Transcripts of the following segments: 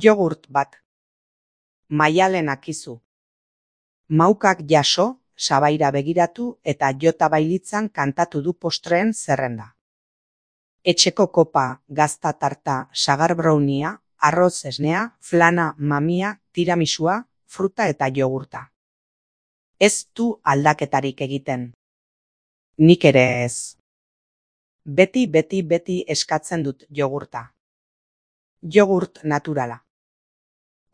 Jogurt bat. Maialen akizu. Maukak jaso, sabaira begiratu eta jota bailitzan kantatu du postreen zerrenda. Etxeko kopa, gazta tarta, sagar brownia, arroz esnea, flana, mamia, tiramisua, fruta eta jogurta. Ez du aldaketarik egiten. Nik ere ez. Beti eskatzen dut jogurta. Jogurt naturala.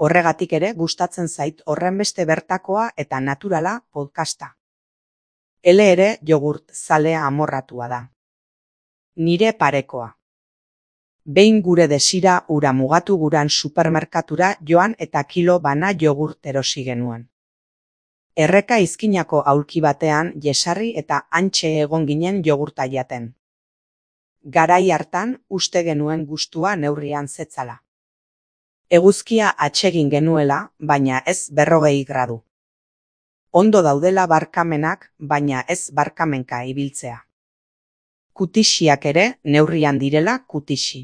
Horregatik ere gustatzen zait horrenbeste bertakoa eta naturala podcasta. Ele ere jogurt zalea amorratua da. Nire parekoa. Behin gure desira ura mugatu guran supermerkatura joan eta kilo bana jogurt erosi genuen. Erreka izkinako aulki batean jesarri eta hantxe egon ginen jogurta jaten. Garai hartan uste genuen gustua neurrian zetzala. Eguzkia atsegin genuela, baina ez 40 gradu. Ondo daudela barkamenak, baina ez barkamenka ibiltzea. Kutixiak ere neurrian direla kutixi.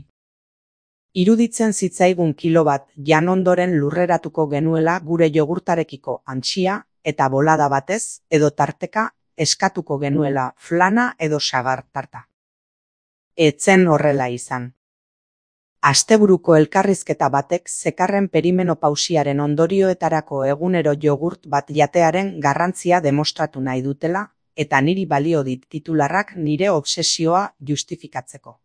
Iruditzen zitzaigun kilo bat jan ondoren lurreratuko genuela gure jogurtarekiko antxia eta bolada batez edo tarteka eskatuko genuela flana edo sagar tarta. Etzen horrela izan. Asteburuko elkarrizketa batek zekarren perimenopausiaren ondorioetarako egunero jogurt bat jatearen garrantzia demostratu nahi dutela eta niri balio dit titularrak nire obsesioa justifikatzeko.